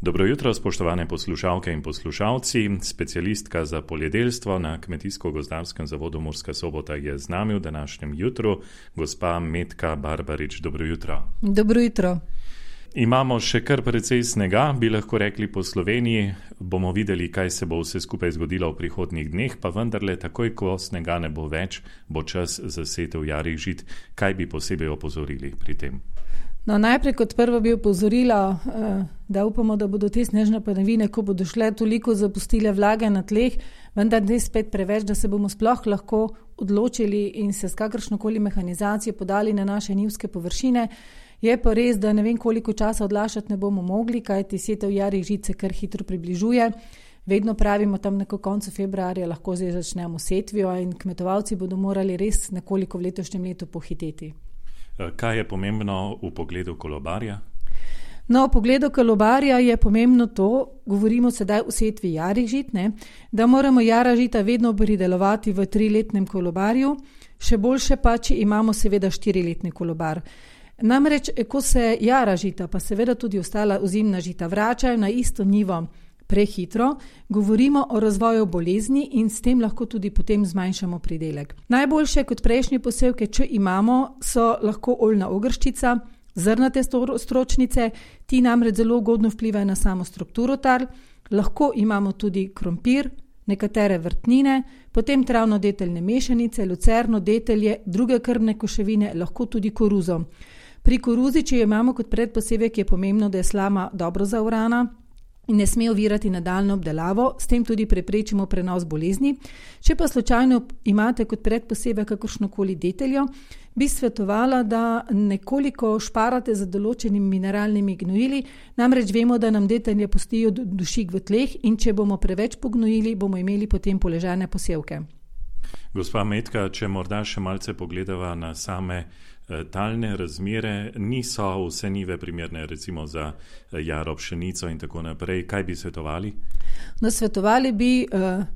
Dobro jutro, spoštovane poslušalke in poslušalci. Specialistka za poljedelstvo na Kmetijsko-gozdarskem zavodu Murska Sobota je z nami v današnjem jutru, gospa Metka Barbarič. Dobro jutro. Dobro jutro. Imamo še kar precej snega, bi lahko rekli po Sloveniji. Bomo videli, kaj se bo vse skupaj zgodilo v prihodnjih dneh, pa vendarle takoj, ko snega ne bo več, bo čas za setev jarih žit. Kaj bi posebej opozorili pri tem? No, najprej kot prvo bi opozorila, da upamo, da bodo te snežne padavine, ko bodo šle, toliko zapustile vlage na tleh, vendar ne spet preveč, da se bomo sploh lahko odločili in se s kakršnokoli mehanizacijo podali na naše njivske površine. Je pa res, da ne vem, koliko časa odlašati ne bomo mogli, kajti setev jarih žit se kar hitro približuje. Vedno pravimo, tam neko koncu februarja lahko zdaj začnemo setvijo in kmetovalci bodo morali res nekoliko v letošnjem letu pohiteti. Kaj je pomembno v pogledu kolobarja? No, v pogledu kolobarja je pomembno to, govorimo sedaj o setvi jarih žit, da moramo jara žita vedno pridelovati v 3-letnem kolobarju, še boljše pa, če imamo seveda 4-letni kolobar. Namreč, ko se jara žita, pa seveda tudi ostala ozimna žita vračajo na isto njivo prehitro, govorimo o razvoju bolezni in s tem lahko tudi potem zmanjšamo pridelek. Najboljše kot prejšnje posevke, če imamo, so lahko oljna ogrščica, zrnate stročnice, ti namreč zelo ugodno vplivajo na samo strukturo tal, lahko imamo tudi krompir, nekatere vrtnine, potem travno-deteljne mešanice, lucerno, detelje, druge krmne koševine, lahko tudi koruzo. Pri koruzi, če jo imamo kot predposevek, je pomembno, da je slama dobro zaorana in ne sme ovirati nadaljnjo obdelavo, s tem tudi preprečimo prenos bolezni. Če pa slučajno imate kot predposevek kakršnokoli deteljo, bi svetovala, da nekoliko šparate za določenimi mineralnimi gnojili, namreč vemo, da nam detelje pustijo dušik v tleh in če bomo preveč pognojili, bomo imeli potem poležane posevke. Gospa Metka, če morda še malce pogledava na same talne razmere, niso vse njive primerne recimo za jaro pšenico in tako naprej. Kaj bi svetovali? No, svetovali bi,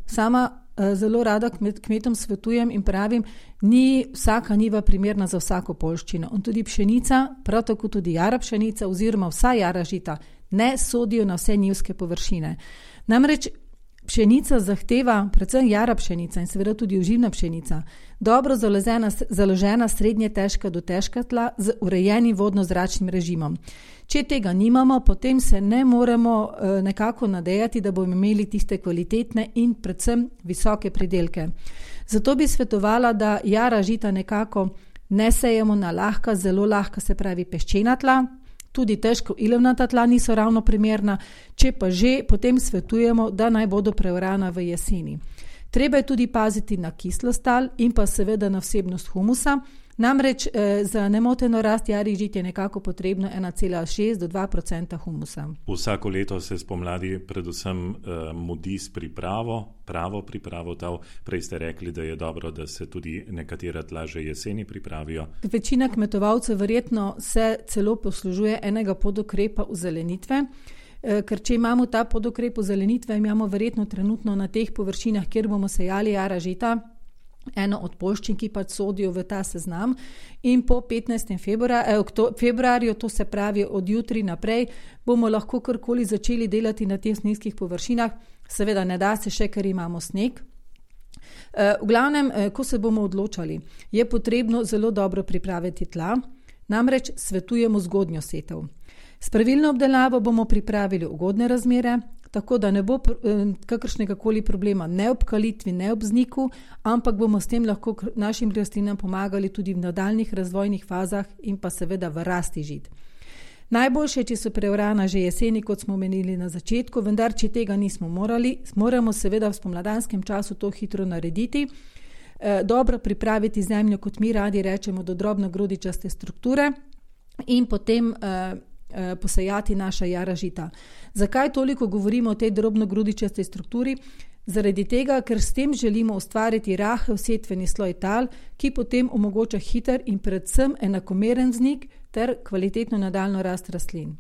sama zelo rada kmetom svetujem in pravim, ni vsaka njiva primerna za vsako poljščino. In tudi pšenica, prav tako tudi jara pšenica oziroma vsa jara žita ne sodijo na vse njivske površine. Namreč pšenica zahteva, predvsem jara pšenica in seveda tudi oživna pšenica, dobro založena srednje težka do težka tla z urejenim vodno-zračnim režimom. Če tega nimamo, potem se ne moremo nekako nadejati, da bomo imeli tiste kvalitetne in predvsem visoke pridelke. Zato bi svetovala, da jara žita nekako ne sejemo na lahka, zelo lahka, se pravi peščena tla, tudi težko ilovnata tla niso ravno primerna, če pa že, potem svetujemo, da naj bodo preorana v jeseni. Treba je tudi paziti na kislost tal in pa seveda na vsebnost humusa, namreč za nemoteno rast jarih žit je nekako potrebno 1,6 do 2% humusa. Vsako leto se spomladi predvsem mudi s pravo pripravo tal. Prej ste rekli, da je dobro, da se tudi nekatera tla že jeseni pripravijo. Večina kmetovalcev verjetno se celo poslužuje enega podukrepa ozelenitve, ker če imamo ta podukrep ozelenitve, imamo verjetno trenutno na teh površinah, kjer bomo sejali jara žita, eno od poljščin, ki pač sodijo v ta seznam in po 15. februarju, to se pravi od jutri naprej, bomo lahko karkoli začeli delati na teh nizkih površinah, seveda ne da se še, ker imamo sneg. V glavnem, ko se bomo odločali, je potrebno zelo dobro pripraviti tla, namreč svetujemo zgodnjo setev. S pravilno obdelavo bomo pripravili ugodne razmere, tako da ne bo kakršnega koli problema ne ob kalitvi, ne ob vzniku, ampak bomo s tem lahko našim rastlinam pomagali tudi v nadaljnih razvojnih fazah in pa seveda v rasti žit. Najboljše, če so preorana že jeseni, kot smo omenili na začetku, vendar če tega nismo moramo seveda v spomladanskem času to hitro narediti, dobro pripraviti zemljo, kot mi radi rečemo, do drobno grodičaste strukture in potem posejati naša jara žita. Zakaj toliko govorimo o tej drobno grudičastej strukturi? Zaradi tega, ker s tem želimo ustvariti rahel setveni sloj tal, ki potem omogoča hiter in predvsem enakomeren vznik ter kvalitetno nadaljnjo rast rastlin.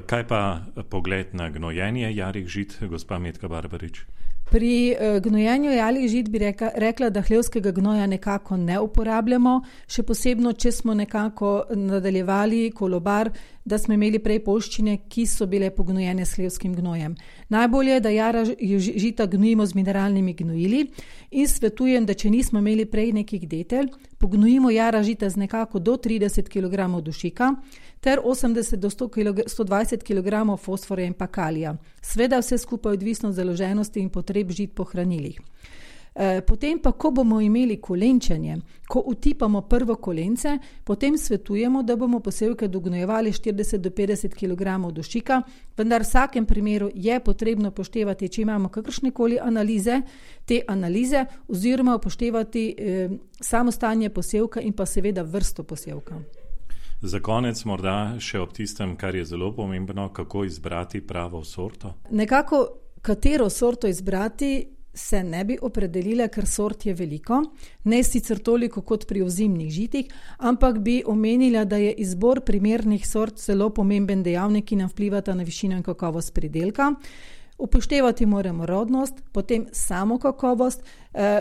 Kaj pa pogled na gnojenje jarih žit, gospa Metka Barbarič? Pri gnojenju jalih žit bi rekla, da hlevskega gnoja nekako ne uporabljamo, še posebno, če smo nekako nadaljevali kolobar, da smo imeli prej poljščine, ki so bile pognojene s hlevskim gnojem. Najbolje je, da jara žita gnojimo z mineralnimi gnojili in svetujem, da če nismo imeli prej nekih detelj, pognojimo jara žita z nekako do 30 kg dušika ter 80 do 120 kg fosforja in pa kalija. Sveda vse skupaj odvisno od založenosti in potreb žit po hranilih. Potem pa, ko bomo imeli kolenčenje, ko utipamo prvo kolence, potem svetujemo, da bomo posevke dognojevali 40 do 50 kg dušika, vendar v vsakem primeru je potrebno upoštevati, če imamo kakršnekoli analize, te analize oziroma upoštevati samo stanje posevka in pa seveda vrsto posevka. Za konec morda še ob tistem, kar je zelo pomembno, kako izbrati pravo sorto? Nekako, katero sorto izbrati, se ne bi opredelila, ker sort je veliko, ne sicer toliko kot pri ozimnih žitih, ampak bi omenila, da je izbor primernih sort zelo pomemben dejavnik, ki nam vplivata na višino in kakovost pridelka. Upoštevati moramo rodnost, potem samo kakovost.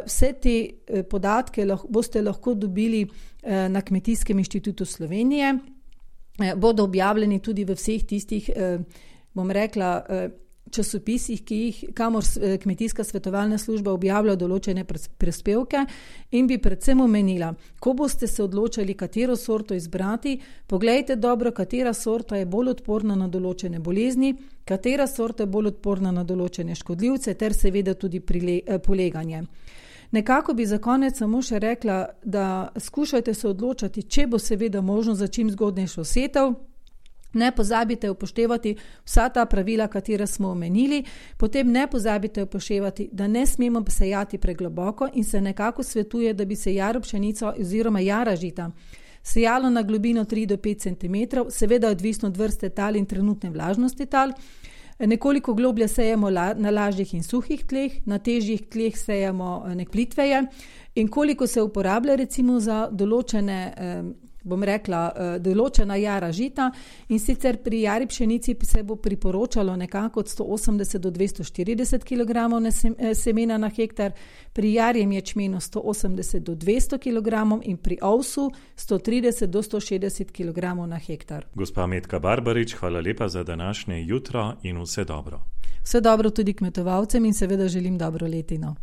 Vse te podatke boste lahko dobili na Kmetijskem inštitutu Slovenije. Bodo objavljeni tudi v vseh tistih, bom rekla, časopisih, kamor Kmetijska svetovalna služba objavlja določene prispevke, in bi predvsem omenila, ko boste se odločali, katero sorto izbrati, poglejte dobro, katera sorta je bolj odporna na določene bolezni, katera sorta je bolj odporna na določene škodljivce ter seveda tudi poleganje. Nekako bi za konec samo še rekla, da skušajte se odločati, če bo seveda možno za čim zgodnejšo setev. Ne pozabite upoštevati vsa ta pravila, katera smo omenili, potem ne pozabite upoštevati, da ne smemo sejati pregloboko in se nekako svetuje, da bi se jaro pšenico oziroma jara žita sejalo na globino 3 do 5 cm, seveda odvisno od vrste tal in trenutne vlažnosti tal. Nekoliko globlje sejemo na lažjih in suhih tleh, na težjih tleh sejemo plitveje in koliko se uporablja recimo za določena jara žita, in sicer pri jari pšenici se bo priporočalo nekako od 180 do 240 kg semena na hektar, pri jarjem ječmenu 180 do 200 kg in pri ovsu 130 do 160 kg na hektar. Gospa Metka Barbarič, hvala lepa za današnje jutro in vse dobro. Vse dobro tudi kmetovalcem in seveda želim dobro letino.